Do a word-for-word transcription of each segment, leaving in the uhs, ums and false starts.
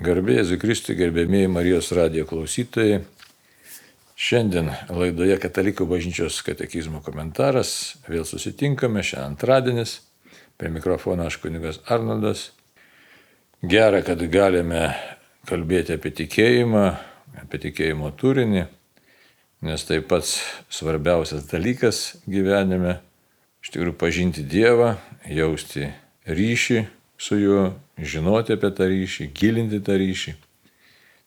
Garbė Jėzui Kristui, gerbėmieji Marijos radijo klausytojai. Šiandien laidoje Katalikų bažnyčios katekizmo komentaras. Vėl susitinkame, šiandien antradienis. Prie mikrofono aš kunigas Arnoldas. Gera, kad galime kalbėti apie tikėjimą, apie tikėjimo turinį, nes tai pats svarbiausias dalykas gyvenime. Iš tikrųjų pažinti Dievą, jausti ryšį su juo, žinoti apie tą ryšį, gilinti tą ryšį.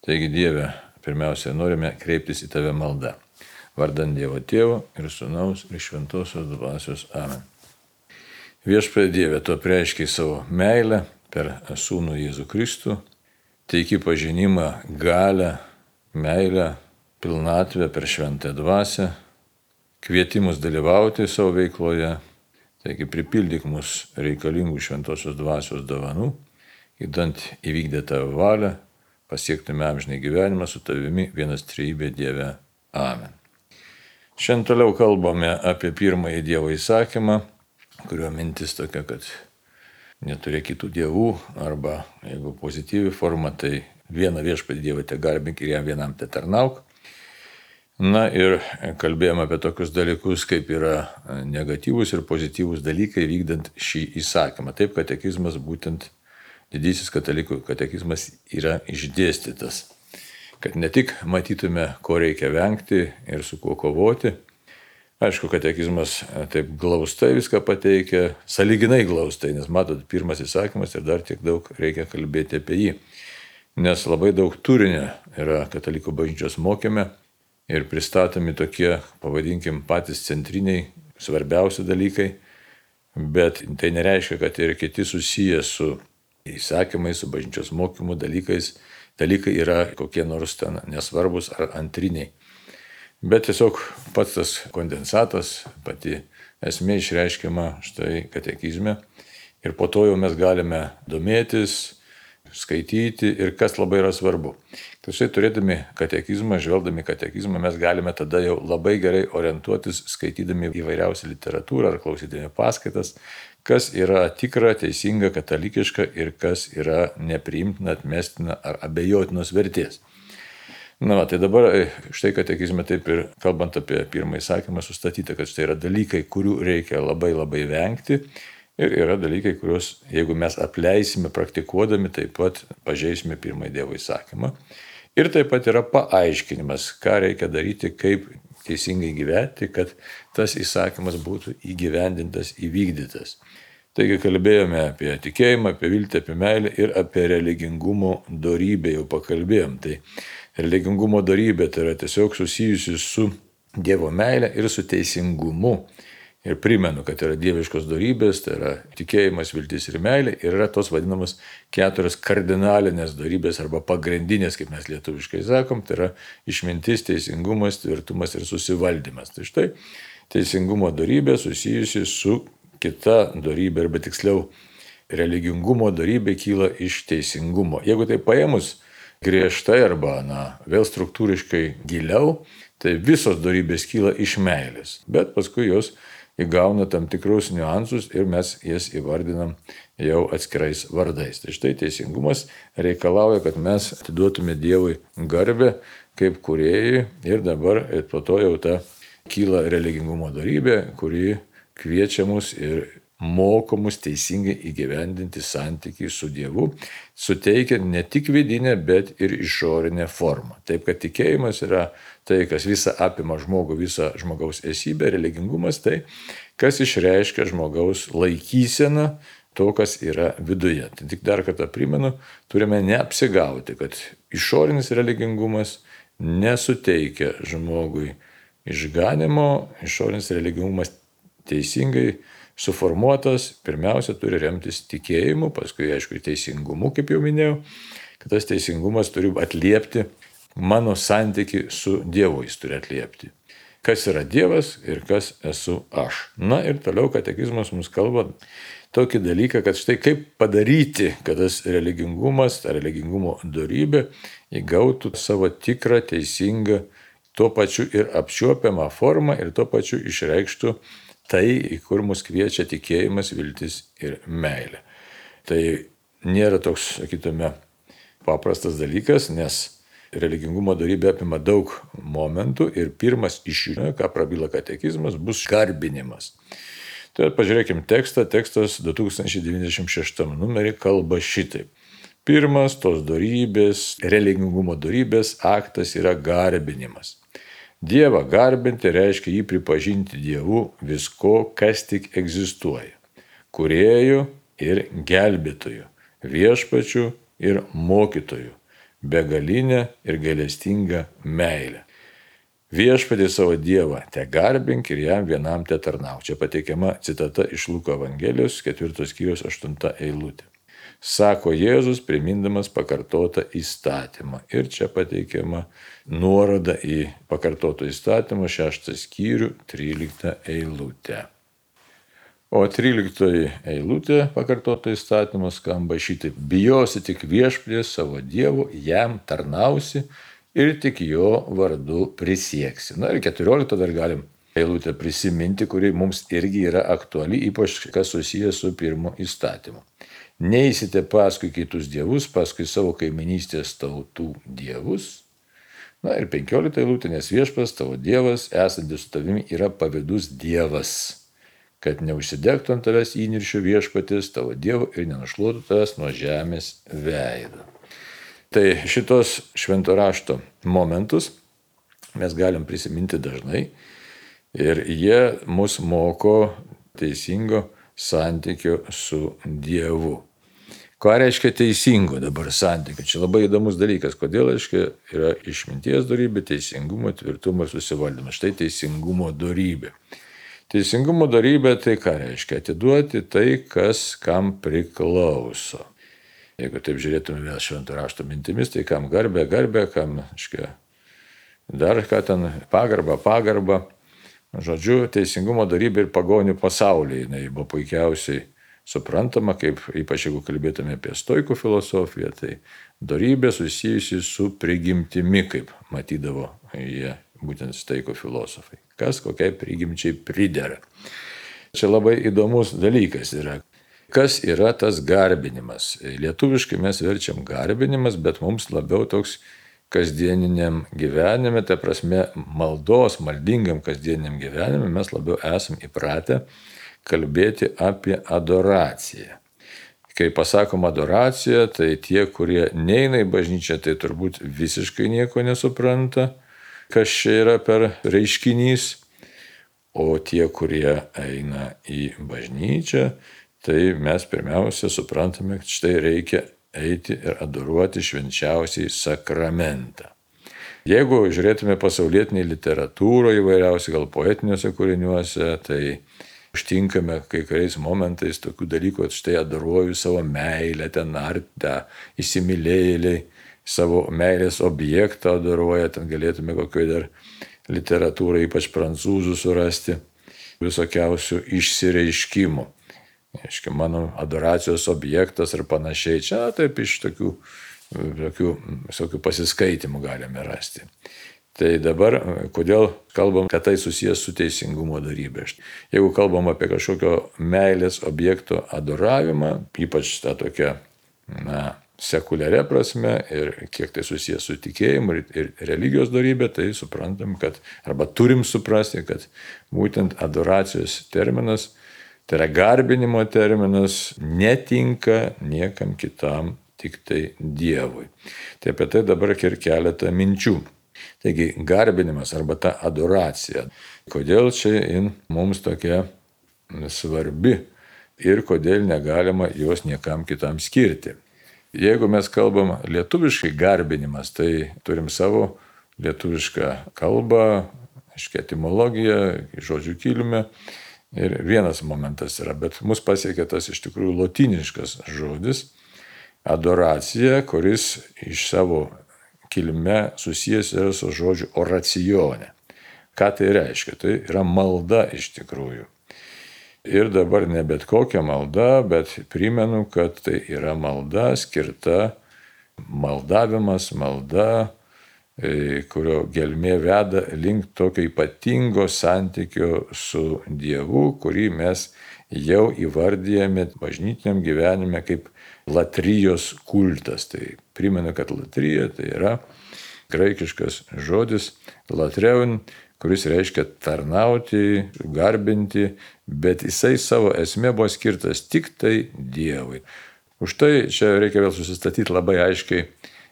Taigi Dieve, pirmiausia, norime kreiptis į Tave maldą. Vardan Dievo Tėvo ir Sūnaus ir Šventosios Dvasios. Amen. Viešpatie Dieve, Tu apreiškei savo meilę per Sūnų Jėzų Kristų, teiki pažinimą, galią, meilę, pilnatvę per Šventąją Dvasią, kvietimus dalyvauti savo veikloje. Taigi pripildyk mus reikalingų Šventosios Dvasios dovanų, įdant įvykdę Tavo valią, pasiektume amžinai gyvenimą su Tavimi vienas trejybė Dieve. Amen. Šiandien toliau kalbame apie pirmąjį Dievo įsakymą, kurio mintis tokia, kad neturėk kitų dievų, arba jeigu pozityvi forma, tai vieną viešpatį Dievą te garbink ir jam vienam te tarnauk. Na ir kalbėjome apie tokius dalykus, kaip yra negatyvūs ir pozityvūs dalykai vykdant šį įsakymą. Taip katekizmas, būtent didysis katalikų katekizmas yra išdėstytas, kad ne tik matytume, ko reikia vengti ir su kuo kovoti. Aišku, katekizmas taip glaustai viską pateikia, sąlyginai glaustai, nes matot, pirmas įsakymas ir dar tiek daug reikia kalbėti apie jį. Nes labai daug turinio yra katalikų bažnyčios mokyme, ir pristatomi tokie, pavadinkim, patys centriniai, svarbiausi dalykai, bet tai nereiškia, kad ir kiti susiję su įsakymais, su bažnyčios mokymu dalykais, dalykai yra kokie nors ten nesvarbus ar antriniai. Bet tiesiog pats tas kondensatas, pati esmė išreiškiama štai katekizme, ir po to jau mes galime domėtis, skaityti ir kas labai yra svarbu. Tačiau turėdami katekizmą, žvelgdami katekizmą, mes galime tada jau labai gerai orientuotis, skaitydami įvairiausią literatūrą ar klausydami paskaitas, kas yra tikra, teisinga, katalikiška ir kas yra nepriimtina, atmestina ar abejotinos vertės. Na, va, tai dabar štai katekizme taip ir kalbant apie pirmąjį įsakymą sustatyta, kad štai yra dalykai, kurių reikia labai labai vengti. Ir yra dalykai, kuriuos, jeigu mes apleisime praktikuodami, taip pat pažeisime pirmąjį Dievo įsakymą. Ir taip pat yra paaiškinimas, ką reikia daryti, kaip teisingai gyventi, kad tas įsakymas būtų įgyvendintas, įvykdytas. Taigi kalbėjome apie tikėjimą, apie viltį, apie meilę ir apie religingumo dorybę jau pakalbėjom. Tai religingumo dorybė tai yra tiesiog susijusi su Dievo meilė ir su teisingumu. Ir primenu, kad yra dieviškos dorybės, tai yra tikėjimas, viltis ir meilė, ir yra tos vadinamos keturios kardinalinės dorybės arba pagrindinės, kaip mes lietuviškai sakom, tai yra išmintis, teisingumas, tvirtumas ir susivaldymas. Tai štai teisingumo dorybė susijusi su kita dorybė, arba tiksliau religingumo dorybė kyla iš teisingumo. Jeigu tai paėmus griežtai arba na, vėl struktūriškai giliau, tai visos dorybės kyla iš meilės, bet paskui jos įgauna tam tikrus niuansus ir mes jas įvardinam jau atskirais vardais. Tai štai teisingumas reikalauja, kad mes atiduotume Dievui garbę kaip kūrėjai ir dabar ir po to jau ta kyla religingumo dorybė, kuri kviečia mus ir moko mus teisingai įgyvendinti santykį su Dievu, suteikiant ne tik vidinę, bet ir išorinę formą. Taip, kad tikėjimas yra tai, kas visą apima žmogų, visą žmogaus esybę, religingumas tai, kas išreiškia žmogaus laikyseną to, kas yra viduje. Tai tik dar kartą primenu, turime neapsigauti, kad išorinis religingumas nesuteikia žmogui išganimo, išorinis religingumas teisingai suformuotas, pirmiausia, turi remtis tikėjimu, paskui, aišku, teisingumu, kaip jau minėjau, kad tas teisingumas turi atliepti mano santyki su Dievu, jis turi atliepti. Kas yra Dievas ir kas esu aš. Na ir toliau katekizmas mums kalba tokį dalyką, kad štai kaip padaryti, kad tas religingumas, ta religingumo dorybė įgautų savo tikrą, teisingą, tuo pačiu ir apčiuopiamą formą ir tuo pačiu išreikštų tai, į kur mus kviečia tikėjimas, viltis ir meilė. Tai nėra toks, sakytume, paprastas dalykas, nes religingumo dorybė apima daug momentų ir pirmas iš jų, ką prabyla katekizmas, bus garbinimas. Tai pažiūrėkime tekstą, tekstas du tūkstančiai devyniasdešimt šeštam numerį kalba šitaip. Pirmas tos dorybės, religingumo dorybės aktas yra garbinimas. Dievą garbinti reiškia jį pripažinti Dievu visko, kas tik egzistuoja. Kūrėju ir gelbėtoju, viešpačiu ir mokytoju, begalinę ir gailestingą meilę. Viešpatį savo Dievą te garbink ir jam vienam te tarnauk. Čia pateikiama citata iš Luko Evangelijos ketvirtos skyriaus aštunta eilutė. Sako Jėzus, primindamas pakartotą įstatymą. Ir čia pateikiama nuoroda į pakartoto įstatymą šeštą skyrių tryliktą eilutę. O tryliktoji eilutė pakartoto įstatymo skamba šitaip. Bijosi tik viešpaties savo Dievu, jam tarnausi ir tik jo vardu prisieksi. Na ir keturioliktą dar galim eilutę prisiminti, kuri mums irgi yra aktuali, ypač kas susijęs su pirmu įstatymu. Neisite paskui kitus dievus, paskui savo kaiminystės tautų dievus. Na ir penkiolikta eilutė, nes viešpas tavo Dievas, esantis su tavimi, yra pavydus Dievas, kad neužsidegtų ant tavęs įniršio viešpatis tavo Dievo ir nenušluotų tavęs nuo žemės veido. Tai šitos švento rašto momentus mes galim prisiminti dažnai ir jie mus moko teisingo santykio su Dievu. Ką reiškia teisingo dabar santykio? Čia labai įdomus dalykas. Kodėl reiškia yra išminties dorybė, teisingumo, tvirtumo, susivaldymas. Štai teisingumo dorybė. Teisingumo dorybė tai ką reiškia? Atiduoti tai, kas kam priklauso. Jeigu taip žiūrėtume vėl švento rašto mintimis, tai kam garbė, garbė, kam reiškia, dar ką ten pagarba, pagarba. Žodžiu, teisingumo dorybė ir pagonių pasaulyje. Jis buvo puikiausiai suprantama, kaip ypač jeigu kalbėtume apie stoikų filosofiją, tai dorybė susijusi su prigimtimi, kaip matydavo jie būtent stoikų filosofai. Kas kokiai prigimčiai pridera. Čia labai įdomus dalykas yra. Kas yra tas garbinimas? Lietuviškai mes verčiam garbinimas, bet mums labiau toks kasdieniniam gyvenime, ta prasme maldos, maldingam kasdieniniam gyvenime mes labiau esam įpratę kalbėti apie adoraciją. Kai pasakom adoracija, tai tie, kurie neina į bažnyčią, tai turbūt visiškai nieko nesupranta, kas čia yra per reiškinys, o tie, kurie eina į bažnyčią, tai mes pirmiausia suprantame, kad štai reikia eiti ir adoruoti švenčiausiai sakramentą. Jeigu žiūrėtume pasaulietinį literatūrą įvairiausiai, gal poetiniuose kūriniuose, tai užtinkame kai kuriais momentais tokių dalykų, kad štai adoruoju savo meilę, ten ar tą įsimylėjėliai, savo meilės objektą adoruoja, ten galėtume kokioj dar literatūrai, ypač prancūzų, surasti visokiausių išsireiškimų. Aiškia, mano adoracijos objektas ir panašiai. Čia taip iš tokių, tokių, tokių pasiskaitimų galime rasti. Tai dabar, kodėl kalbam, kad tai susijęs su teisingumo dorybė? Jeigu kalbam apie kažkokio meilės objekto adoravimą, ypač tą tokią, na, sekuliaria prasme ir kiek tai susijęs su tikėjimu ir, ir religijos dorybė, tai suprantam, kad, arba turim suprasti, kad būtent adoracijos terminas, tai yra garbinimo terminas, netinka niekam kitam, tik tai Dievui. Tai apie tai dabar ir keletą minčių. Taigi garbinimas arba ta adoracija. Kodėl čia mums tokia svarbi ir kodėl negalima jos niekam kitam skirti. Jeigu mes kalbam lietuviškai garbinimas, tai turim savo lietuvišką kalbą, aiškiai etimologiją, žodžių kilmę. Ir vienas momentas yra, bet mus pasiekia tas iš tikrųjų lotyniškas žodis adoracija, kuris iš savo kilme susijęs yra su žodžiu oracione. Ką tai reiškia? Tai yra malda iš tikrųjų. Ir dabar ne bet kokia malda, bet primenu, kad tai yra malda skirta maldavimas, malda, kurio gelmė veda link tokio ypatingo santykio su Dievu, kurį mes jau įvardyjami bažnytiniam gyvenime kaip latrijos kultas. Tai primenu, kad latrija tai yra graikiškas žodis latreun, kuris reiškia tarnauti, garbinti, bet jisai savo esmė buvo skirtas tik tai Dievui. Už tai čia reikia vėl susistatyti labai aiškiai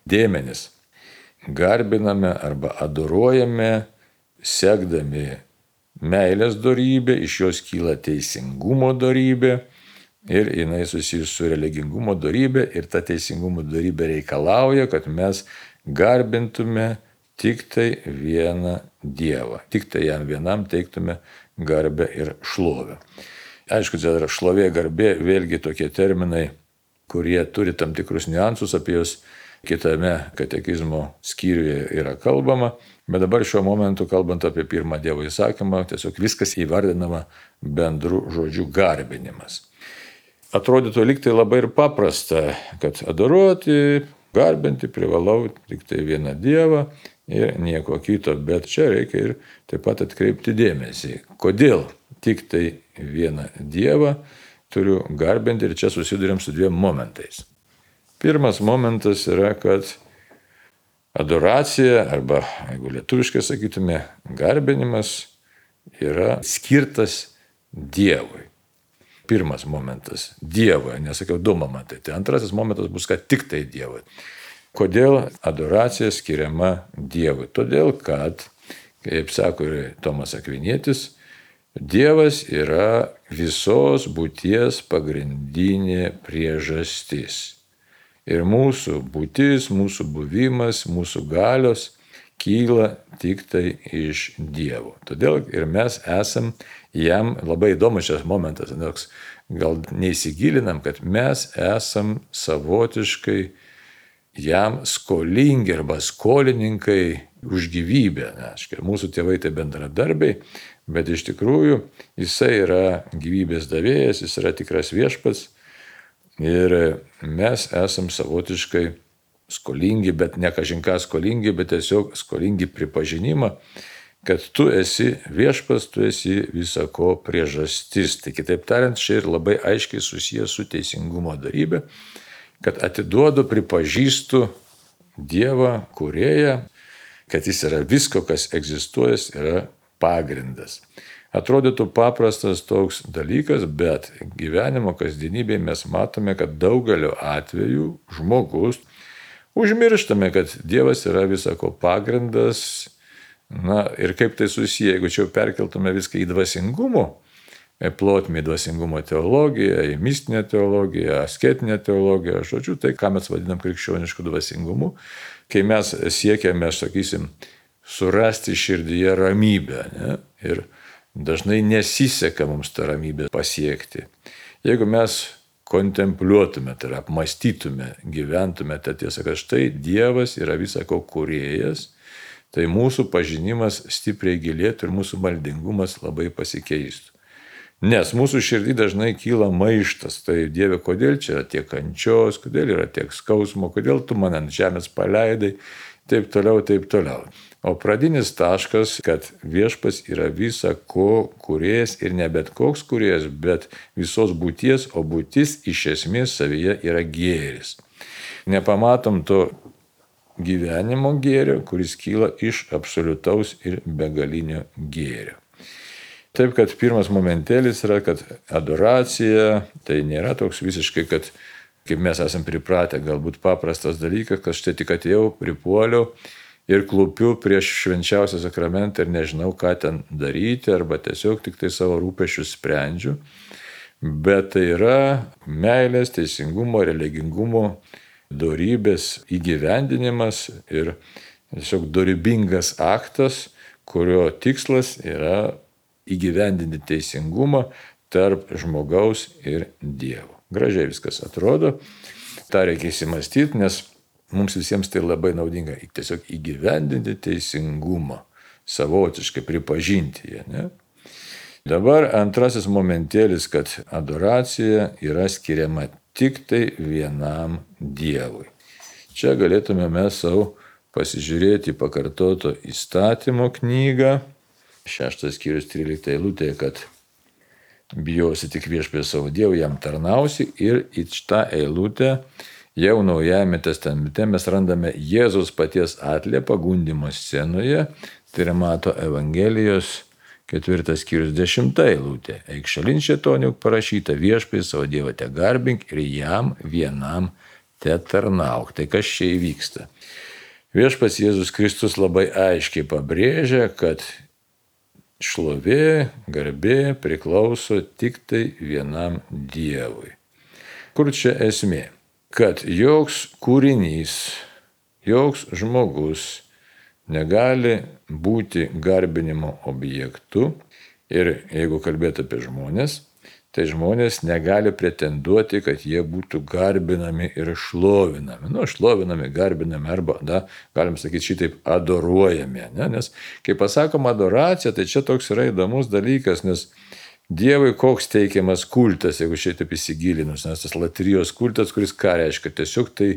dėmenis. Garbiname arba adoruojame, sekdami meilės dorybė, iš jos kyla teisingumo dorybė ir jinai susijusi su religingumo dorybė ir ta teisingumo dorybė reikalauja, kad mes garbintume tik tai vieną Dievą, tik tai jam vienam teiktume garbę ir šlovę. Aišku, čia yra šlovė, garbė, vėlgi tokie terminai, kurie turi tam tikrus niuansus, apie juos kitame katekizmo skyriuje yra kalbama, bet dabar šiuo momentu, kalbant apie pirmą Dievo įsakymą, tiesiog viskas įvardinama bendru žodžiu garbinimas. Atrodytų lyg tai labai ir paprasta, kad adoruoti, garbinti privalau tik tai vieną Dievą ir nieko kito, bet čia reikia ir taip pat atkreipti dėmesį, kodėl tik tai vieną Dievą turiu garbinti, ir čia susiduriam su dviem momentais. Pirmas momentas yra, kad adoracija, arba jeigu lietuviškai sakytume, garbinimas yra skirtas Dievui. Pirmas momentas – Dievui, nesakiau du momentai. Tai antrasis momentas bus, kad tik tai Dievui. Kodėl adoracija skiriama Dievui? Todėl, kad, kaip sako ir Tomas Akvinietis, Dievas yra visos būties pagrindinė priežastis. Ir mūsų būtis, mūsų buvimas, mūsų galios kyla tik tai iš Dievo. Todėl ir mes esam jam, labai įdomus šis momentas, nors gal neįsigilinam, kad mes esam savotiškai jam skolingi arba skolininkai už gyvybę. Aiškiai, mūsų tėvai tai bendradarbiai, bet iš tikrųjų jisai yra gyvybės davėjas, jis yra tikras viešpats ir mes esam savotiškai skolingi, bet ne kažinką skolingi, bet tiesiog skolingi pripažinimą, kad tu esi viešpas, tu esi visako priežastis. Tai kitaip tariant, čia ir labai aiškiai susijęs su teisingumo dorybė, kad atiduodu, pripažįstu Dievą, kūrėją, kad jis yra visko, kas egzistuoja, yra pagrindas. Atrodytų paprastas toks dalykas, bet gyvenimo kasdienybėje mes matome, kad daugeliu atveju žmogus užmirštame, kad Dievas yra visako pagrindas. Na ir kaip tai susiję, jeigu čia perkeltume viską į dvasingumo plotmę, į dvasingumo teologiją, į mistinę teologiją, asketinę teologiją, žodžiu, tai ką mes vadinam krikščionišku dvasingumu, kai mes siekiame, sakysim, surasti širdyje ramybę, ne? Ir dažnai nesiseka mums tą ramybę pasiekti. Jeigu mes kontempliuotume, tai yra apmąstytume, gyventume tą tiesą, kad štai Dievas yra visako kūrėjas, tai mūsų pažinimas stipriai gilėtų ir mūsų maldingumas labai pasikeistų. Nes mūsų širdį dažnai kyla maištas, tai Dieve, kodėl čia yra tiek kančios, kodėl yra tiek skausmo, kodėl tu mane ant žemės paleidai, taip toliau, taip toliau. O pradinis taškas, kad viešpas yra visa ko kūrėjas ir ne bet koks kūrėjas, bet visos būties, o būtis iš esmės savyje yra gėris. Nepamatom to gyvenimo gėrio, kuris kyla iš absoliutaus ir begalinio gėrio. Taip, kad pirmas momentėlis yra, kad adoracija tai nėra toks visiškai, kad kaip mes esam pripratę, galbūt paprastas dalykas, kad štai tik atėjau, pripuoliau ir klupiu prieš švenčiausią sakramentą ir nežinau, ką ten daryti, arba tiesiog tik tai savo rūpesčius sprendžiu. Bet tai yra meilės, teisingumo, religingumo dorybės įgyvendinimas ir tiesiog dorybingas aktas, kurio tikslas yra įgyvendinti teisingumą tarp žmogaus ir Dievo. Gražiai viskas atrodo, tą reikia įsimastyti, nes mums visiems tai labai naudinga tiesiog įgyvendinti teisingumą, savotiškai pripažinti ją. Ne? Dabar antrasis momentėlis, kad adoracija yra skiriama tik tai vienam Dievui. Čia galėtume mes savo pasižiūrėti pakartoto įstatymo knygą, šeštas skyrius trylikta eilutė, kad bijosi tik viešpatį savo Dievą, jam tarnausi. Ir į šitą eilutę jau Naujajame testamente mes randame Jėzaus paties atliepą gundymo scenoje. Tai yra Mato Evangelijos ketvirtas skyrius dešimta eilutė. Eik šalin šėtoniuk parašyta, viešpatį savo Dievą te garbink ir jam vienam te tarnauk. Tai kas čia įvyksta? Viešpats Jėzus Kristus labai aiškiai pabrėžia, kad šlovė, garbė priklauso tik tai vienam Dievui. Kur čia esmė? Kad joks kūrinys, joks žmogus negali būti garbinimo objektu. Ir jeigu kalbėt apie žmonės, tai žmonės negali pretenduoti, kad jie būtų garbinami ir šlovinami. Nu, šlovinami, garbinami arba, da, galim sakyti šitaip, adoruojami. Ne? Nes kai pasakom adoracija, tai čia toks yra įdomus dalykas, nes Dievui koks teikiamas kultas, jeigu šitaip įsigilinus, nes tas latrijos kultas, kuris ką reiškia, tiesiog tai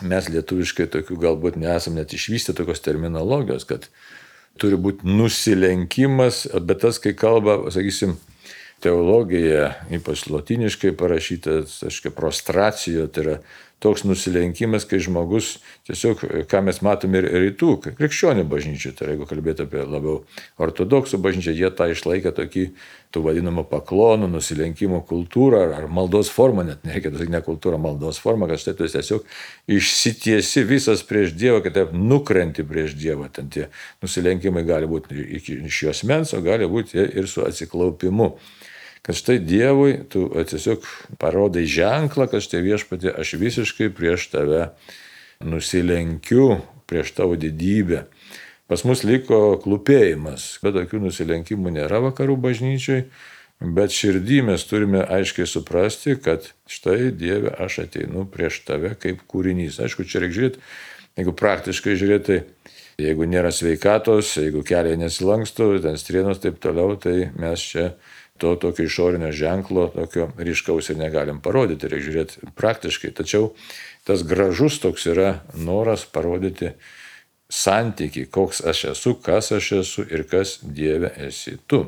mes lietuviškai tokių galbūt nesam net išvystę tokios terminologijos, kad turi būti nusilenkimas, bet tas, kai kalba, sakysim, teologija, ypač lotyniškai parašytas, aiškiai, prostracijo, tai yra toks nusilenkimas, kai žmogus tiesiog, ką mes matome ir rytų, krikščionių bažnyčių, tai yra, jeigu kalbėti apie labiau ortodoksų bažnyčią, jie tą išlaikė tokį, tų vadinamų paklonų, nusilenkimo kultūrą ar maldos formą, net nereikia sakyti ne kultūrą, maldos formą, kad štai tu tiesiog išsitiesi visas prieš Dievą, kad taip nukrenti prieš Dievą. Ten tie nusilenkimai gali būti iš jos mens, o gali būti ir su atsiklaupimu. Kad štai Dievui tu tiesiog parodai ženklą, kad štai viešpatie, aš visiškai prieš tave nusilenkiu, prieš tavo didybę. Pas mus liko klūpėjimas, bet tokių nusilenkimų nėra vakarų bažnyčiai, bet širdį mes turime aiškiai suprasti, kad štai Dieve, aš ateinu prieš tave kaip kūrinys. Aišku, čia reikia žiūrėti, jeigu praktiškai žiūrėti, jeigu nėra sveikatos, jeigu keliai nesilanksto, ten strienos taip toliau, tai mes čia to tokio išorinio ženklo, tokio ryškaus ir negalim parodyti, reikia žiūrėti praktiškai. Tačiau tas gražus toks yra noras parodyti santykį, koks aš esu, kas aš esu ir kas Dieve esi tu.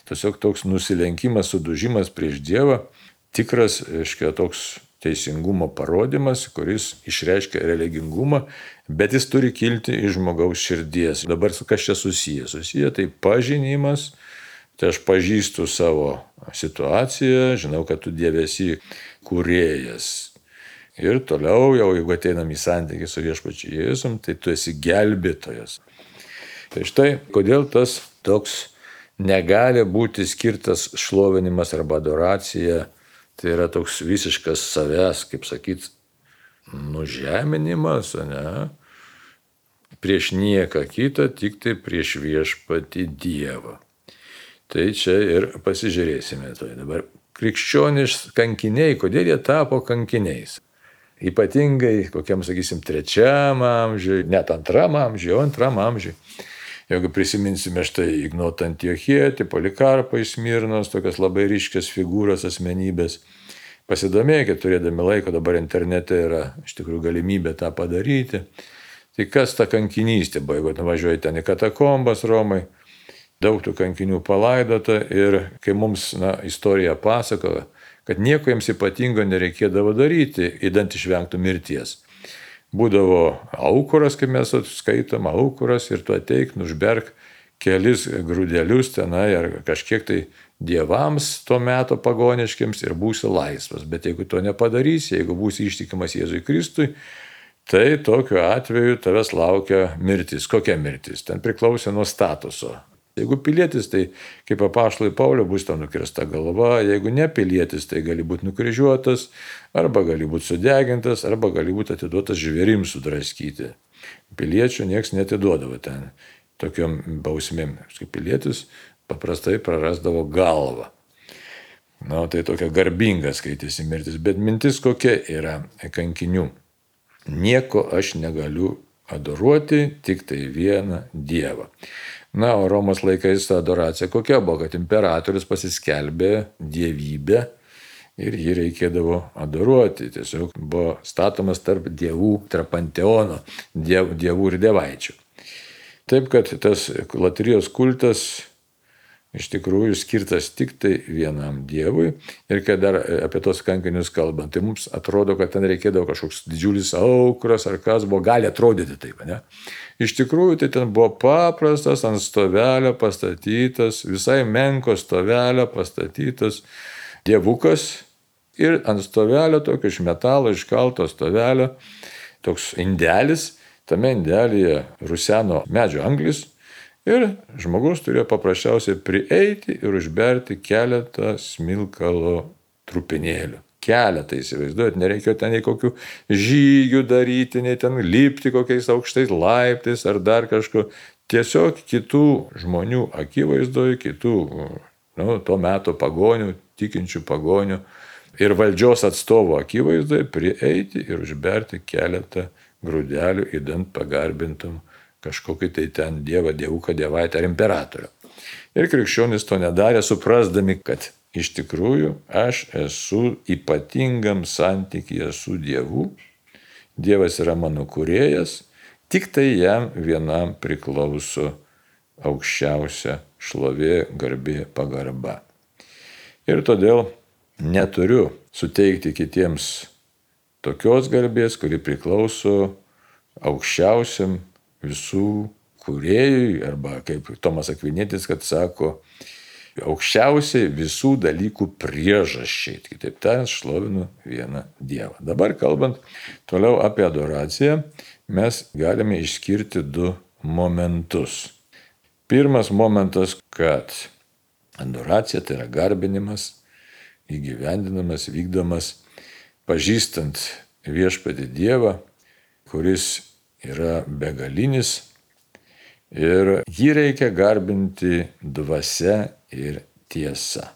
Tiesiog toks nusilenkimas, sudužimas prieš Dievą, tikras, reiškia, toks teisingumo parodimas, kuris išreiškia religingumą, bet jis turi kilti iš žmogaus širdies. Dabar su kas čia susiję? Susiję tai pažinimas. Tai aš pažįstu savo situaciją, žinau, kad tu Dieve esi kūrėjas. Ir toliau, jau jeigu ateinam į santykį su viešpačiu Jėzum, tai tu esi gelbėtojas. Tai štai, kodėl tas toks negali būti skirtas šlovinimas arba adoracija, tai yra toks visiškas savęs, kaip sakyt, nužeminimas, ne? Prieš nieką kitą, tik tai prieš viešpatį Dievą. Tai čia ir pasižiūrėsime. Tai dabar krikščioniš kankiniai, kodėl jie tapo kankiniais? Ypatingai kokiam, sakysim, trečiam amžiui, net antram amžiui, o antram amžiui. Jeigu prisiminsime štai Ignotą Antiochietį, Polikarpą iš Smirnos, tokias labai ryškias figūros, asmenybės. Pasidomėkit, turėdami laiko, dabar internete yra iš tikrųjų galimybė tą padaryti. Tai kas ta kankinystė buvo, jeigu nuvažiuoji ten į katakombas Romai, daug tų kankinių palaidota ir kai mums na, istorija pasakoja, kad nieko jiems ypatingo nereikėdavo daryti, idant išvengtų mirties. Būdavo aukuras, kaip mes skaitom, aukuras ir tu ateik, nužberk kelis grūdelius tenai ar kažkiek tai dievams to meto pagoniškiams ir būsi laisvas. Bet jeigu to nepadarysi, jeigu būsi ištikimas Jėzui Kristui, tai tokiu atveju tavęs laukia mirtis. Kokia mirtis? Ten priklausė nuo statuso. Jeigu pilietis, tai kaip apaštalui Pauliui bus tau nukirsta galva, jeigu ne pilietis, tai gali būti nukryžiuotas, arba gali būti sudegintas, arba gali būti atiduotas žvėrims sudraskyti. Piliečių nieks netiduodavo ten tokiom bausmėm. Kaip pilietis paprastai prarasdavo galvą. Na, tai tokia garbinga skaitėsi mirtis, bet mintis kokia yra kankinių. Nieko aš negaliu adoruoti, tik tai vieną Dievą. Na, o Romos laikais ta adoracija kokia buvo, kad imperatorius pasiskelbė dievybę ir jį reikėdavo adoruoti. Tiesiog buvo statomas tarp dievų, tarp panteono, diev, dievų ir dievaičių. Taip, kad tas latrijos kultas iš tikrųjų skirtas tik tai vienam Dievui. Ir kai dar apie tos kankinius kalbant, tai mums atrodo, kad ten reikėdavo kažkoks didžiulis aukras ar kas buvo, gali atrodyti taip, ne? Iš tikrųjų, tai ten buvo paprastas ant stovelio pastatytas, visai menko stovelio pastatytas dievukas ir ant stovelio, tokio iš metalo iškalto stovelio, toks indelis, tame indelyje ruseno medžio anglis. Ir žmogus turėjo paprasčiausiai prieiti ir užberti keletą smilkalo trupinėlių. Keletą, įsivaizduojat, nereikėjo ten nei kokių žygių daryti, nei ten lipti kokiais aukštais laiptais ar dar kažko. Tiesiog kitų žmonių akivaizdoje, kitų, nu, to meto pagonių, tikinčių pagonių ir valdžios atstovo akivaizdoje prieiti ir užberti keletą grūdelių įdant pagarbintum kažkokį tai ten dievą, dievuką, dievaitę ar imperatorių. Ir krikščionys to nedarė, suprasdami, kad iš tikrųjų aš esu ypatingam santykyje su Dievu, Dievas yra mano kūrėjas, tik tai jam vienam priklauso aukščiausia šlovė, garbė, pagarba. Ir todėl neturiu suteikti kitiems tokios garbės, kuri priklauso aukščiausiam visų kūrėjui, arba kaip Tomas Akvinietis, kad sako, aukščiausiai visų dalykų priežasčiai. Kitaip tariant, šlovinu vieną Dievą. Dabar kalbant toliau apie adoraciją, mes galime išskirti du momentus. Pirmas momentas, kad adoracija tai yra garbinimas, įgyvendinamas, vykdomas, pažįstant viešpatį Dievą, kuris yra begalinis ir jį reikia garbinti dvasia ir tiesa.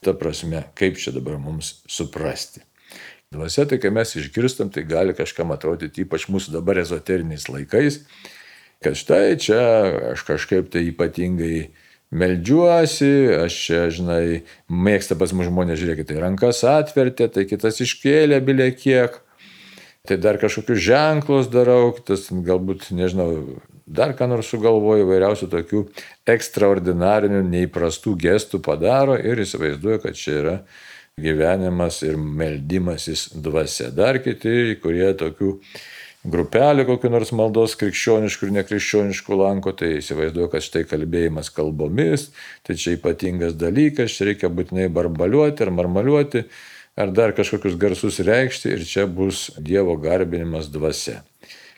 Ta prasme, kaip čia dabar mums suprasti. Dvasia, tai kai mes išgirstam, tai gali kažkam atrodyti, ypač mūsų dabar ezoteriniais laikais, kad štai čia aš kažkaip tai ypatingai meldžiuosi, aš čia, žinai, mėgsta pas mus žmonės, žiūrėkit, tai rankas atvertė, tai kitas iškėlė bilė kiek. Tai dar kažkokius ženklus darau, tas galbūt, nežinau, dar ką nors sugalvoju, vairiausių tokių ekstraordinarinių, neįprastų gestų padaro ir įsivaizduoju, kad čia yra gyvenimas ir meldimasis dvasia. Dar kiti, kurie tokių grupelių kokių nors maldos krikščioniškų ir nekrikščioniškų lanko, tai įsivaizduoju, kad štai kalbėjimas kalbomis, tai čia ypatingas dalykas, čia reikia būtinai barbaliuoti ar marmaliuoti, ar dar kažkokius garsus reikšti ir čia bus Dievo garbinimas dvasia.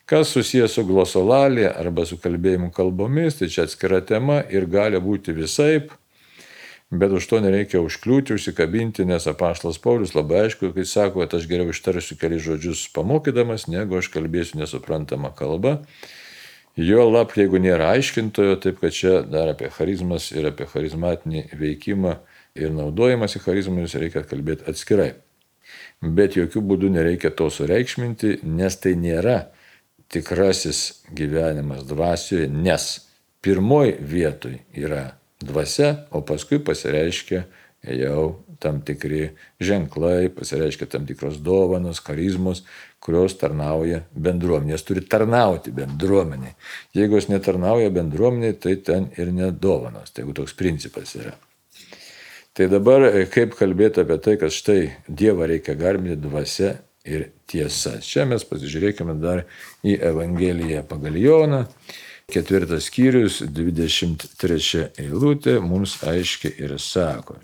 Kas susijęs su glosolalija arba su kalbėjimu kalbomis, tai čia atskira tema ir gali būti visaip, bet už to nereikia užkliūti, užsikabinti, nes apaštalas Paulius labai aišku, kai sako, kad aš geriau ištarsiu keli žodžius pamokydamas, negu aš kalbėsiu nesuprantama kalba. Jo lab, jeigu nėra aiškintojo, taip kad čia dar apie charizmas ir apie charizmatinį veikimą ir naudojimas į charizmus reikia kalbėti atskirai. Bet jokių būdų nereikia to sureikšminti, nes tai nėra tikrasis gyvenimas dvasioje, nes pirmoj vietoj yra dvasia, o paskui pasireiškia jau tam tikri ženklai, pasireiškia tam tikros dovanos, charizmos, kurios tarnauja bendruomenės, turi tarnauti bendruomeniai. Jeigu jos netarnauja bendruomeniai, tai ten ir nedovanos, tai jeigu toks principas yra. Tai dabar kaip kalbėti apie tai, kad štai Dievą reikia garbinti dvasia ir tiesa. Čia mes pasižiūrėkime dar į Evangeliją pagal Joną, ketvirtas skyrius, dvidešimt trečia eilutė, mums aiškiai ir sako.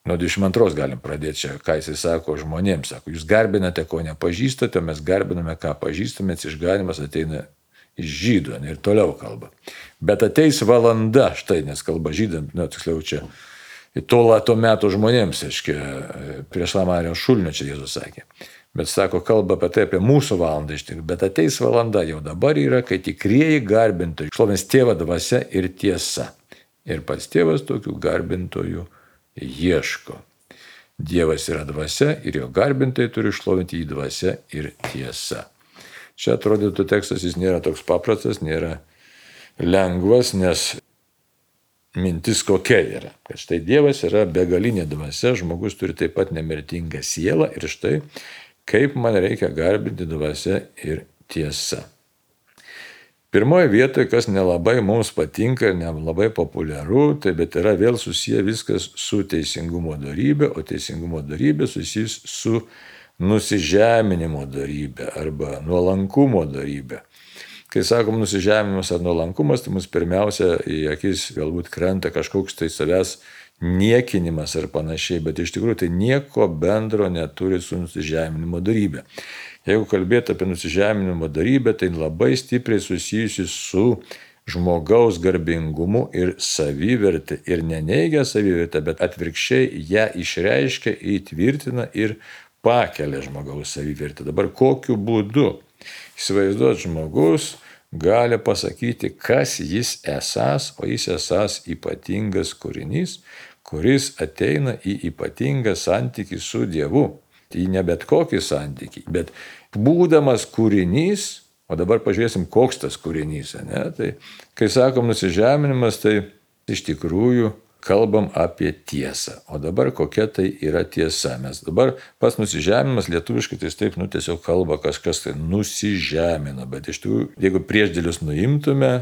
Nuo dvidešimt antros galim pradėti čia, ką jis sako žmonėms. Sako, jūs garbinate, ko nepažįstate, mes garbiname, ką pažįstame, išganymas ateina iš žydų ir toliau kalba. Bet ateis valanda, štai, nes kalba žydams, ne, tiksliau čia, to, to meto žmonėms, aiškiai, prieš Lamarijos šulinio čia Jėzus sakė. Bet sako, kalba apie tai, apie mūsų valandą iš tikrųjų. Bet ateis valanda jau dabar yra, kai tikrieji garbintojai šlovins Tėvą dvasia ir tiesa. Ir pats Tėvas tokių garbintojų ieško. Dievas yra dvasia ir jo garbintojai turi šlovinti jį dvasia ir tiesa. Čia atrodytų tekstas, jis nėra toks paprastas, nėra lengvas, nes mintis kokia yra, kad štai Dievas yra begalinė dvasia, žmogus turi taip pat nemirtingą sielą ir štai kaip man reikia garbinti dvasia ir tiesa. Pirmoje vietoje, kas nelabai mums patinka ir nelabai populiaru, tai bet yra vėl susiję viskas su teisingumo dorybė, o teisingumo dorybė susijus su nusižeminimo dorybė arba nuolankumo dorybė. Kai sakom nusižeminimas ar nuolankumas, tai mums pirmiausia į akis galbūt krenta kažkoks tai savęs niekinimas ar panašiai, bet iš tikrųjų tai nieko bendro neturi su nusižeminimo dorybė. Jeigu kalbėti apie nusižeminimo dorybę, tai labai stipriai susijusi su žmogaus garbingumu ir savivertė. Ir neneigia savivertę, bet atvirkščiai ją išreiškia, įtvirtina ir pakelia žmogaus savivertę. Dabar kokiu būdu? Įsivaizduot, žmogus gali pasakyti, kas jis esas, o jis esas ypatingas kūrinys, kuris ateina į ypatingą santykį su Dievu. Tai ne bet kokį santykį, bet būdamas kūrinys, o dabar pažiūrėsim, koks tas kūrinys. Ne? Tai, kai sakom nusižeminimas, tai iš tikrųjų kalbam apie tiesą. O dabar kokia tai yra tiesa? Mes dabar pats nusižeminimas lietuviškai tai taip, nu tiesiog kalba kažkas tai nusižemina, bet iš tikrųjų, jeigu priešdėlius nuimtume,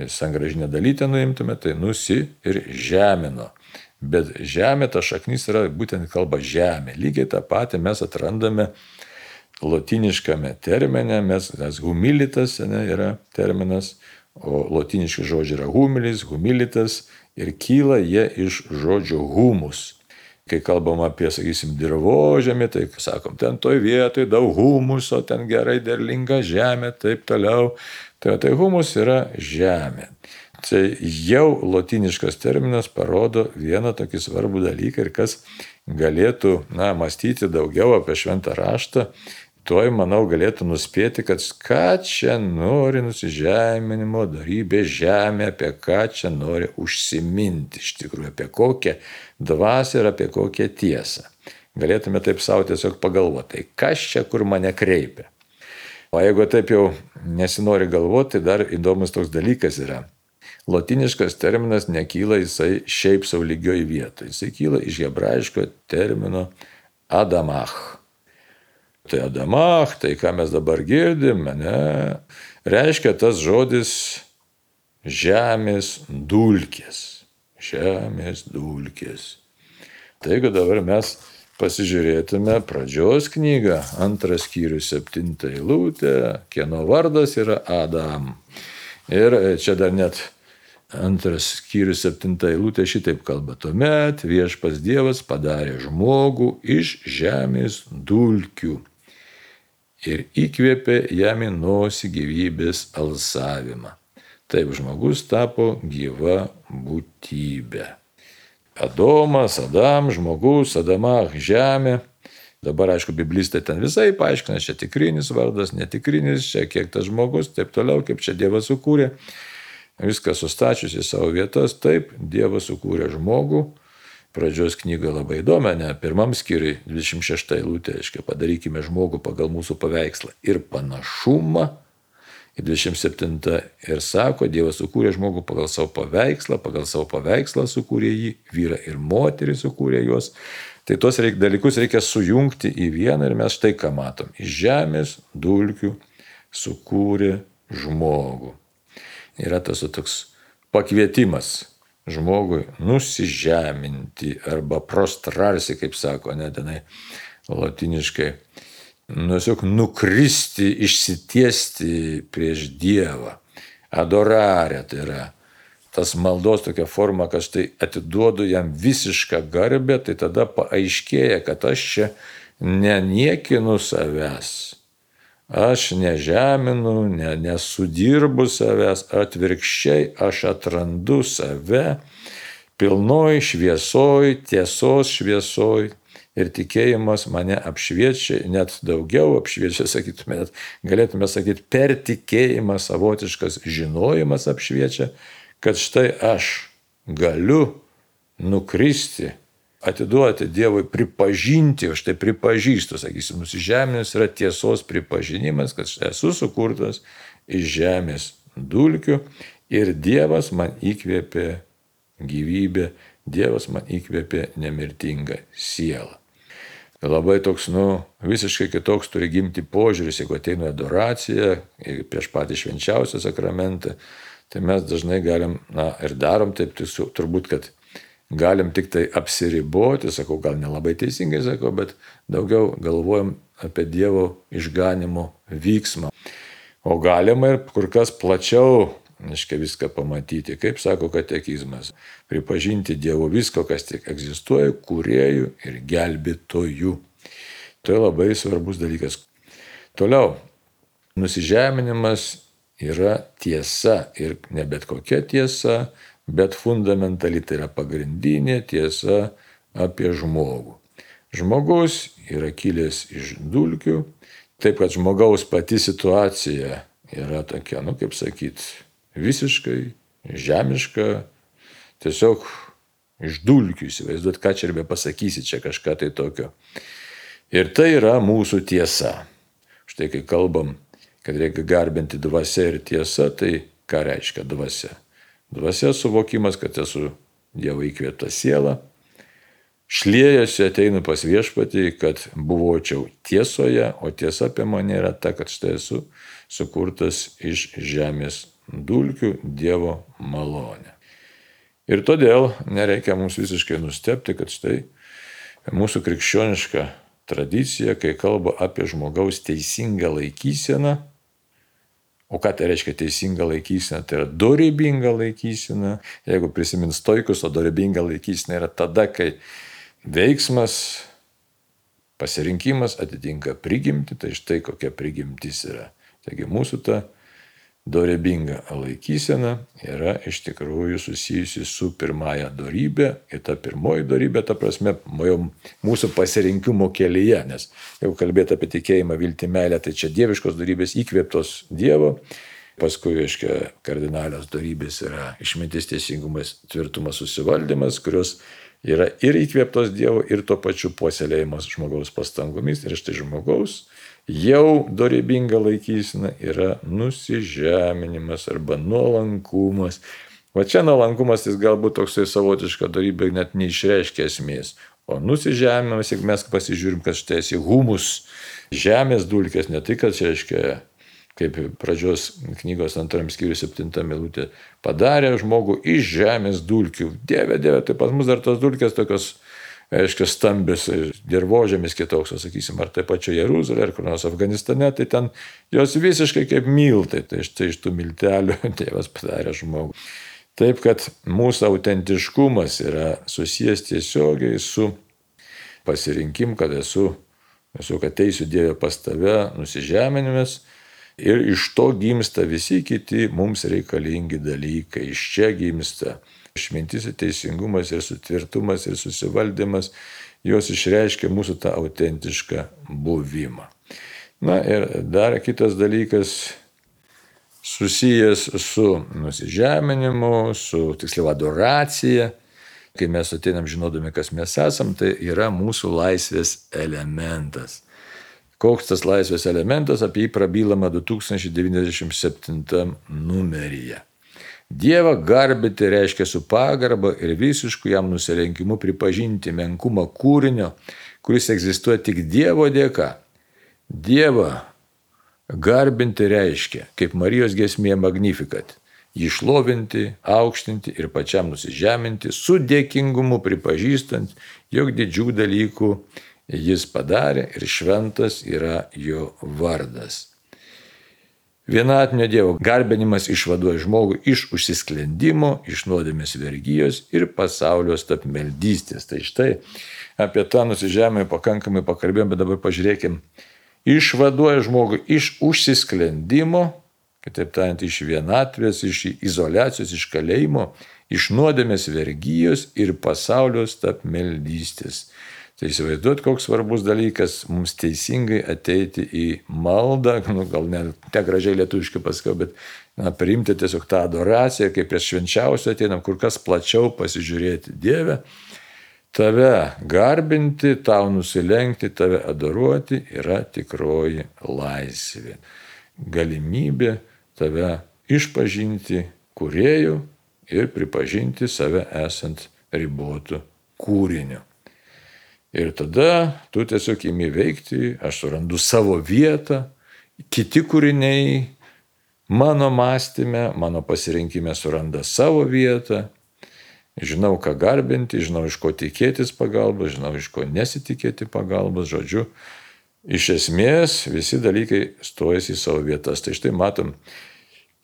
sangražinę dalytę nuimtume, tai nusi ir žemino. Bet žemė, ta šaknis yra būtent kalba žemė. Lygiai tą patį mes atrandame lotiniškame termine, mes, nes humilitas ne, yra terminas, o lotiniški žodžiai yra humilis, humilitas ir kyla jie iš žodžio humus. Kai kalbam apie, sakysim, dirvožemį, tai sakom, ten toj vietoj daug humuso, ten gerai derlinga žemė, taip toliau. Tai, tai humus yra žemė. Tai jau lotiniškas terminas parodo vieną tokį svarbų dalyką ir kas galėtų, na, mąstyti daugiau apie šventą raštą, toj, manau, galėtų nuspėti, kad ką čia nori nusižeminimo dorybė žemė, apie ką čia nori užsiminti iš tikrųjų, apie kokią dvasią ir apie kokią tiesą. Galėtume taip savo tiesiog pagalvoti, tai kas čia kur mane kreipia. O jeigu taip jau nesinori galvoti, tai dar įdomus toks dalykas yra. Lotiniškas terminas nekyla jisai šiaip sau lygioj vietoj. Jisai kyla iš hebrajiško termino adamach. Tai adamach, tai ką mes dabar girdim, ne, reiškia tas žodis žemės dulkės. Žemės dulkės. Taigi dabar mes pasižiūrėtume pradžios knygą, antras skyrius, septinta eilutė, kieno vardas yra Adam. Ir čia dar net antras skyrius, septinta eilutė šitaip kalba. Tuomet viešpats Dievas padarė žmogų iš žemės dulkių ir įkvėpė jam į nosį gyvybės alsavimą. Taip žmogus tapo gyva būtybė. Adomas, Adam, žmogus, Adamach, žemė. Dabar, aišku, biblistai ten visai paaiškina, čia tikrinis vardas, netikrinis, čia kiek tas žmogus, taip toliau, kaip čia Dievas sukūrė. Viską sustačius į savo vietas, taip, Dievas sukūrė žmogų. Pradžios knyga labai įdomi, ne? Pirmam skyriui, dvidešimt šešta eilutė, aiškiai, padarykime žmogų pagal mūsų paveikslą ir panašumą. Ir dvidešimt septinta ir sako, Dievas sukūrė žmogų pagal savo paveikslą, pagal savo paveikslą sukūrė jį, vyrą ir moterį sukūrė juos. Tai tos reik, dalykus reikia sujungti į vieną ir mes štai ką matom. Iš žemės dulkių sukūrė žmogų. Yra tas toks pakvietimas žmogui nusižeminti arba prostrarsi, kaip sako, ne tenai latiniškai. Tiesiog nukristi, išsitiesti prieš Dievą. Adorarė, tai yra tas maldos tokia forma, kad štai atiduodu jam visišką garbę, tai tada paaiškėja, kad aš čia neniekinu savęs. Aš nežeminu, ne, nesudirbu savęs, atvirkščiai aš atrandu save pilnoj šviesoj, tiesos šviesoj. Ir tikėjimas mane apšviečia, net daugiau apšviečia, sakytume, net galėtume sakyti, per tikėjimą savotiškas žinojimas apšviečia, kad štai aš galiu nukristi, atiduoti Dievui, pripažinti, o štai pripažįstu, sakysim, nusižeminimas yra tiesos pripažinimas, kad štai esu sukurtas iš žemės dulkių ir Dievas man įkvėpė gyvybę, Dievas man įkvėpė nemirtingą sielą. labai toks, nu, visiškai kitoks turi gimti požiūris, jeigu ateina adoracija prieš patį švenčiausią sakramentą, tai mes dažnai galim, na, ir darom taip, tai turbūt, kad galim tik tai apsiriboti, sakau, gal nelabai teisingai sakau, bet daugiau galvojam apie Dievo išganimo vyksmą. O galima ir kur kas plačiau, aiškiai, viską pamatyti, kaip sako katekizmas, pripažinti Dievo visko, kas tik egzistuoja, kūrėjų ir gelbėtojų. Tai labai svarbus dalykas. Toliau, nusižeminimas yra tiesa ir ne bet kokia tiesa, bet fundamentali, tai yra pagrindinė tiesa apie žmogų. Žmogus yra kilęs iš dulkių, taip kad žmogaus pati situacija yra tokia, nu kaip sakyti, visiškai žemiška, tiesiog iš dulkių, įsivaizduot, ką čia ir be pasakysi, čia kažką tai tokio. Ir tai yra mūsų tiesa. Štai kai kalbam, kad reikia garbinti dvasia ir tiesa, tai ką reiškia dvasia? Dvasia suvokimas, kad esu Dievo įkvėpta siela, šliejasi, ateinu pas viešpatį, kad buvočiau tiesoje, o tiesa apie mane yra ta, kad štai esu sukurtas iš žemės dulkių Dievo malonė. Ir todėl nereikia mums visiškai nustebti, kad štai mūsų krikščioniška tradicija, kai kalba apie žmogaus teisingą laikyseną, o ką tai reiškia teisinga laikysena, tai yra dorybinga laikysena. Jeigu prisimins stoikus, o dorybinga laikysena yra tada, kai veiksmas, pasirinkimas atitinka prigimtį, tai štai kokia prigimtis yra. Taigi mūsų ta dorybinga laikysena yra iš tikrųjų susijusi su pirmąja dorybė ir ta pirmoji dorybė, ta prasme, mūsų pasirinkimo kelyje, nes jeigu kalbėti apie tikėjimą, viltį, meilę, tai čia dieviškos dorybės įkvėptos Dievo, paskui, aiškiai, kardinalios dorybės yra išmintis, teisingumas, tvirtumas, susivaldymas, kurios yra ir įkvėptos Dievo, ir tuo pačiu puoselėjimas žmogaus pastangomis, ir štai žmogaus jau dorybinga laikysena yra nusižeminimas arba nuolankumas. Va čia nuolankumas jis galbūt toksai savotiška dorybė net neišreiškia esmės. O nusižeminimas, jeigu mes pasižiūrim, kad štai esi humus, žemės dulkės, ne tai, kad čia reiškia, kaip pradžios knygos antram skyriui septinta eilutė, padarė žmogų iš žemės dulkių. Dieve, Dieve, tai pas mus dar tos dulkės tokios, aiškiai, stambios, dirvožėmis kitoks, sakysim, ar tai pačio Jeruzalė, ar kur nors Afganistane, tai ten jos visiškai kaip miltai, tai štai iš tų miltelių Dievas padarė žmogų. Taip, kad mūsų autentiškumas yra susijęs tiesiogiai su pasirinkim, kad esu, esu kad teisiu Dievę pas tave, nusižeminimas, ir iš to gimsta visi kiti mums reikalingi dalykai, iš čia gimsta išmintis ir teisingumas ir sutvirtumas ir susivaldymas, jos išreiškia mūsų tą autentišką buvimą. Na ir dar kitas dalykas susijęs su nusižeminimu, su tiksliau adoracija. Kai mes ateinam žinodami, kas mes esam, tai yra mūsų laisvės elementas. Koks tas laisvės elementas, apie jį prabylama du tūkstančiai devyniasdešimt septintam numeryje. Dievą garbinti reiškia su pagarba ir visišku jam nusilenkimu pripažinti menkumą kūrinio, kuris egzistuoja tik Dievo dėka. Dievą garbinti reiškia, kaip Marijos giesmėje Magnificat, jį šlovinti, aukštinti ir pačiam nusižeminti, su dėkingumu pripažįstant, jog didžių dalykų jis padarė ir šventas yra jo vardas. Vienatinio Dievo garbinimas išvaduoja žmogų iš užsisklendimo, iš nuodėmės vergijos ir pasaulio stabmeldystės. Tai štai apie tą nusižemėjimą pakankamai pakalbėjom, bet dabar pažiūrėkim. Išvaduoja žmogų iš užsisklendimo, kitaip tariant, iš vienatvės, iš izoliacijos, iš kalėjimo, iš nuodėmės vergijos ir pasaulio stabmeldystės. Tai įsivaizduot, koks svarbus dalykas mums teisingai ateiti į maldą, nu, gal ne, ne gražiai lietuviškai pasakiau, bet na, priimti tiesiog tą adoraciją, kaip prieš švenčiausią ateinam, kur kas plačiau pasižiūrėti Dievę, tave garbinti, tau nusilenkti, tave adoruoti yra tikroji laisvė. Galimybė tave išpažinti kūrėju ir pripažinti save esant ribotu kūriniu. Ir tada tu tiesiog imi veikti, aš surandu savo vietą, kiti kūriniai mano mąstyme, mano pasirinkime suranda savo vietą, žinau, ką garbinti, žinau, iš ko tikėtis pagalbos, žinau, iš ko nesitikėti pagalbos, žodžiu, iš esmės visi dalykai stojasi į savo vietas. Tai štai matom,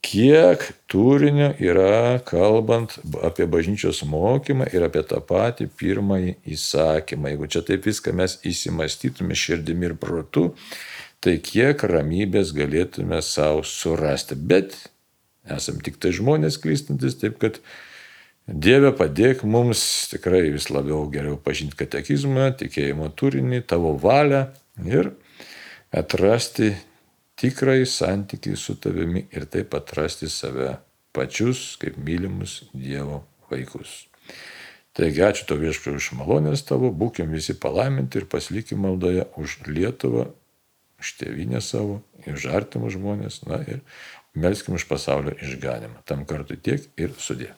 kiek turinio yra kalbant apie bažnyčios mokymą ir apie tą patį pirmąjį įsakymą. Jeigu čia taip viską mes įsimastytume širdimi ir protu, tai kiek ramybės galėtume savo surasti. Bet esam tik tai žmonės klystantis, taip kad Dieve padėk mums tikrai vis labiau geriau pažinti katekizmą, tikėjimo turinį, tavo valią ir atrasti tikrai santykiai su tavimi ir taip atrasti save pačius kaip mylimus Dievo vaikus. Taigi ačiū tau Viešpatie už malonės tavo, būkim visi palaiminti ir pasilikim maldoje už Lietuvą, už tėvynę savo, už artimus žmonės, na ir melskim už pasaulio išganimą. Tam kartui tiek ir sudie.